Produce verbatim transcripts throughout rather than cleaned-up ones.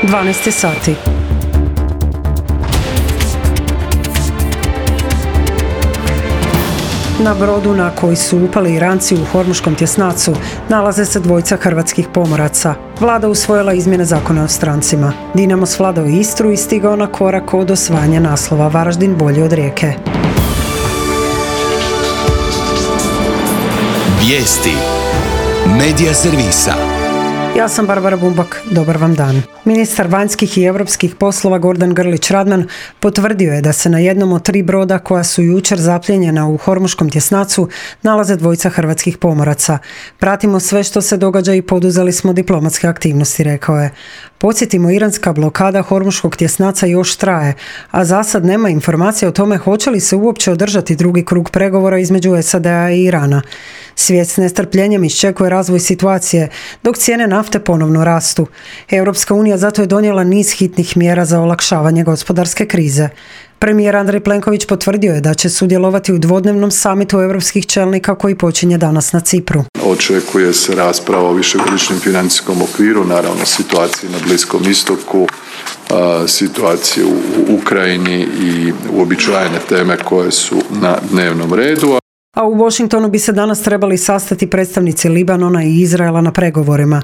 dvanaest sati. Na brodu na koji su upali Iranci u Hormuškom tjesnacu nalaze se dvojica hrvatskih pomoraca. Vlada usvojila izmjene zakona o strancima. Dinamo svladao Istru i stigao na korak od osvajanja naslova. Varaždin bolji od Rijeke. Vijesti Medija servisa. Ja sam Barbara Bumbak, dobar vam dan. Ministar vanjskih i europskih poslova Gordan Grlić Radman potvrdio je da se na jednom od tri broda koja su jučer zapljenjena u Hormuškom tjesnacu nalaze dvojica hrvatskih pomoraca. Pratimo sve što se događa i poduzeli smo diplomatske aktivnosti, rekao je. Podsjetimo, iranska blokada Hormuškog tjesnaca još traje, a za sad nema informacije o tome hoće li se uopće održati drugi krug pregovora između S A D-a i Irana. Svijet s nestrpljenjem iščekuje razvoj situacije, dok cijene nafte ponovno rastu. Europska unija zato je donijela niz hitnih mjera za olakšavanje gospodarske krize. Premijer Andrej Plenković potvrdio je da će sudjelovati u dvodnevnom samitu europskih čelnika koji počinje danas na Cipru. Očekuje se rasprava o višegodišnjem financijskom okviru, naravno situaciji na Bliskom istoku, situaciju u Ukrajini i uobičajene teme koje su na dnevnom redu. A u Washingtonu bi se danas trebali sastati predstavnici Libanona i Izraela na pregovorima.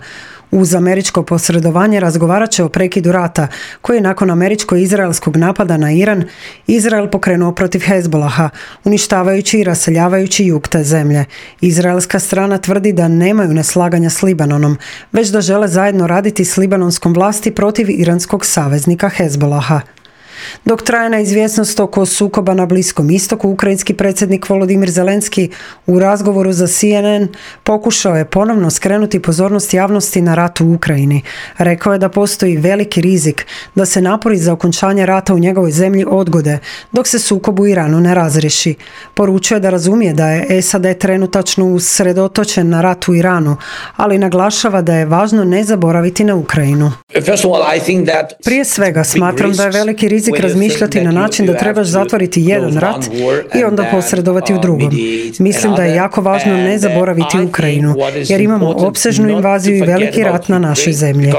Uz američko posredovanje razgovarat će o prekidu rata, koji je nakon američko-izraelskog napada na Iran, Izrael pokrenuo protiv Hezbolaha, uništavajući i raseljavajući jug te zemlje. Izraelska strana tvrdi da nemaju neslaganja s Libanonom, već da žele zajedno raditi s libanonskom vlasti protiv iranskog saveznika Hezbolaha. Dok traje neizvjesnost oko sukoba na Bliskom istoku, ukrajinski predsjednik Volodimir Zelenski u razgovoru za C N N pokušao je ponovno skrenuti pozornost javnosti na rat u Ukrajini. Rekao je da postoji veliki rizik da se napori za okončanje rata u njegovoj zemlji odgode dok se sukob u Iranu ne razriješi. Poručio je da razumije da je S A D trenutačno usredotočen na rat u Iranu, ali naglašava da je važno ne zaboraviti na Ukrajinu. Prije svega smatram da je veliki rizik razmišljati na način da trebaš zatvoriti jedan rat i onda posredovati u drugom. Mislim da je jako važno ne zaboraviti Ukrajinu, jer imamo opsežnu invaziju i veliki rat na našoj zemlji.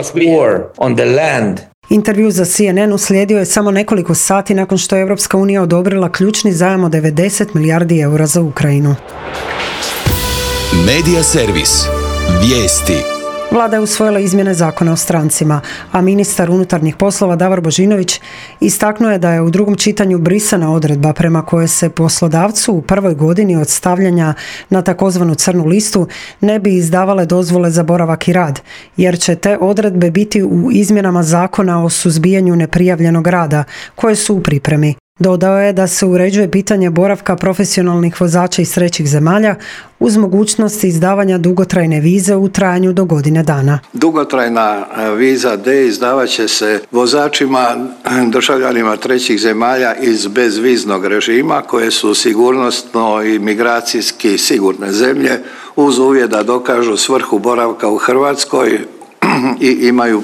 Intervju za C N N uslijedio je samo nekoliko sati nakon što je Europska unija odobrila ključni zajam od devedeset milijardi eura za Ukrajinu. Medija servis. Vijesti. Vlada je usvojila izmjene zakona o strancima, a ministar unutarnjih poslova Davor Božinović istaknuo je da je u drugom čitanju brisana odredba prema kojoj se poslodavcu u prvoj godini od stavljanja na takozvanu crnu listu ne bi izdavale dozvole za boravak i rad, jer će te odredbe biti u izmjenama zakona o suzbijanju neprijavljenog rada, koje su u pripremi. Dodao je da se uređuje pitanje boravka profesionalnih vozača iz trećih zemalja uz mogućnost izdavanja dugotrajne vize u trajanju do godine dana. Dugotrajna viza D izdavat će se vozačima, državljanima trećih zemalja iz bezviznog režima koje su sigurnosno i migracijski sigurne zemlje uz uvjet da dokažu svrhu boravka u Hrvatskoj i imaju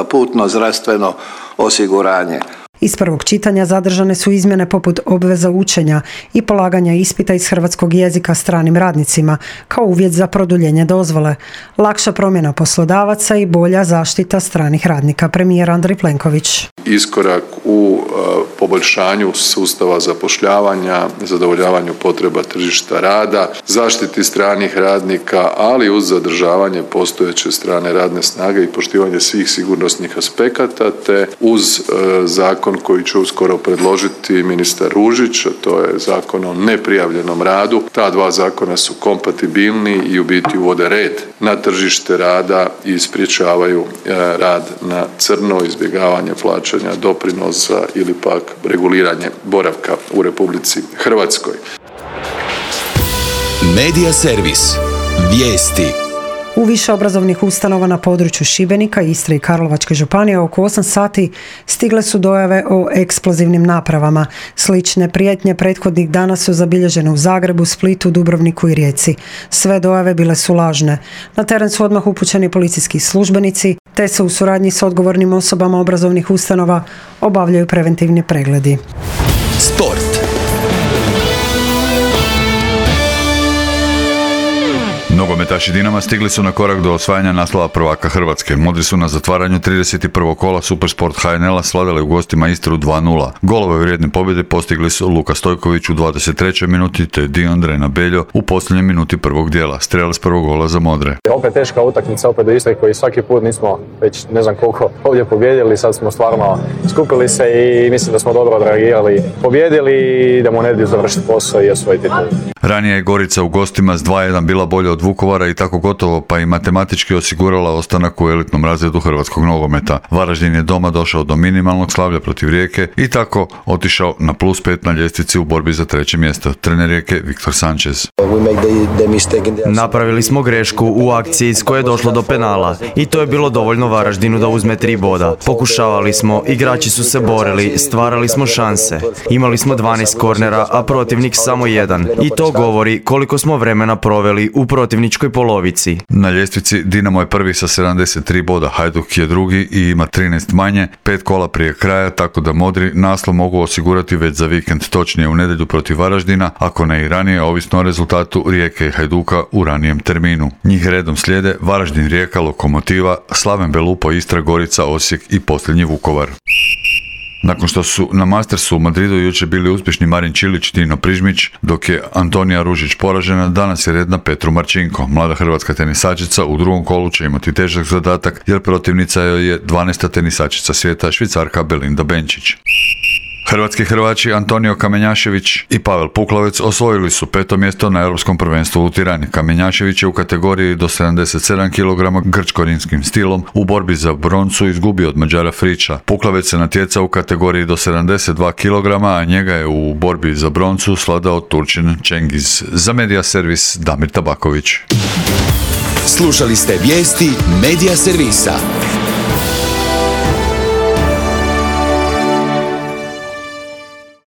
putno zdravstveno osiguranje. Iz prvog čitanja zadržane su izmjene poput obveza učenja i polaganja ispita iz hrvatskog jezika stranim radnicima kao uvjet za produljenje dozvole, lakša promjena poslodavaca i bolja zaštita stranih radnika, premijer Andrej Plenković. Iskorak u uh, poboljšanju sustava zapošljavanja, zadovoljavanju potreba tržišta rada, zaštiti stranih radnika, ali uz zadržavanje postojeće strane radne snage i poštivanje svih sigurnosnih aspekata, te uz uh, zakon koji će uskoro predložiti ministar Ružić, a to je zakon o neprijavljenom radu. Ta dva zakona su kompatibilni i u biti uvode red na tržište rada i sprječavaju uh, rad na crno, izbjegavanje plaćanja doprinosa ili pak reguliranje boravka u Republici Hrvatskoj. Medija servis. Vijesti. U više obrazovnih ustanova na području Šibenika, Istre i Karlovačke županije oko osam sati stigle su dojave o eksplozivnim napravama. Slične prijetnje prethodnih dana su zabilježene u Zagrebu, Splitu, Dubrovniku i Rijeci. Sve dojave bile su lažne. Na teren su odmah upućeni policijski službenici, te se u suradnji s odgovornim osobama obrazovnih ustanova obavljaju preventivni pregledi. Sport. Nogometaši Dinama stigli su na korak do osvajanja naslova prvaka Hrvatske. Modri su na zatvaranju trideset prvog kola Supersport H N L-a svladali u gostima Istru dva nula. Golove vrijedne pobjede postigli su Luka Stojković u dvadeset trećoj minuti te Diondre Nabeljo u posljednjoj minuti prvog dijela. Strelac prvog gola za Modre. Opet teška utakmica, opet do Istre koji svaki put nismo već ne znam koliko ovdje pobjedili. Sad smo stvarno skupili se i mislim da smo dobro odreagirali. Pobjedili i idemo u nedjelju završiti posao i osvojiti titul. Ranije je Gorica u gostima s dva jedan bila bolja od Vukovara i tako gotovo pa i matematički osigurala ostanak u elitnom razredu hrvatskog nogometa. Varaždin je doma došao do minimalnog slavlja protiv Rijeke i tako otišao na plus pet na ljestvici u borbi za treće mjesto. Trener Rijeke Viktor Sanchez. Napravili smo grešku u akciji s koje je došlo do penala i to je bilo dovoljno Varaždinu da uzme tri boda. Pokušavali smo, igrači su se borili, stvarali smo šanse. Imali smo dvanaest kornera, a protivnik samo jedan. I to govori koliko smo vremena proveli u protivničkoj polovici. Na ljestvici Dinamo je prvi sa sedamdeset tri boda, Hajduk je drugi i ima trinaest manje, pet kola prije kraja, tako da Modri naslov mogu osigurati već za vikend, točnije u nedjelju protiv Varaždina, ako ne i ranije, ovisno o rezultatu Rijeke i Hajduka u ranijem terminu. Njih redom slijede Varaždin, Rijeka, Lokomotiva, Slaven Belupo, Istra, Gorica, Osijek i posljednji Vukovar. Nakon što su na Mastersu u Madridu jučer bili uspješni Marin Čilić i Tino Prižmić, dok je Antonija Ružić poražena, danas je red na Petru Marčinko. Mlada hrvatska tenisačica u drugom kolu će imati težak zadatak jer protivnica joj je dvanaesta tenisačica svijeta, Švicarka Belinda Benčić. Hrvatski Hrvači Antonio Kamenjašević i Pavel Puklavec osvojili su peto mjesto na Europskom prvenstvu u Tirani. Kamenjašević je u kategoriji do sedamdeset sedam kilograma grčko-rimskim stilom u borbi za broncu izgubio od Mađara Friča. Puklavec se natjecao u kategoriji do sedamdeset dva kilograma, a njega je u borbi za broncu svladao Turčin Čengiz. Za Medija servis Damir Tabaković. Slušali ste vijesti Medija servisa.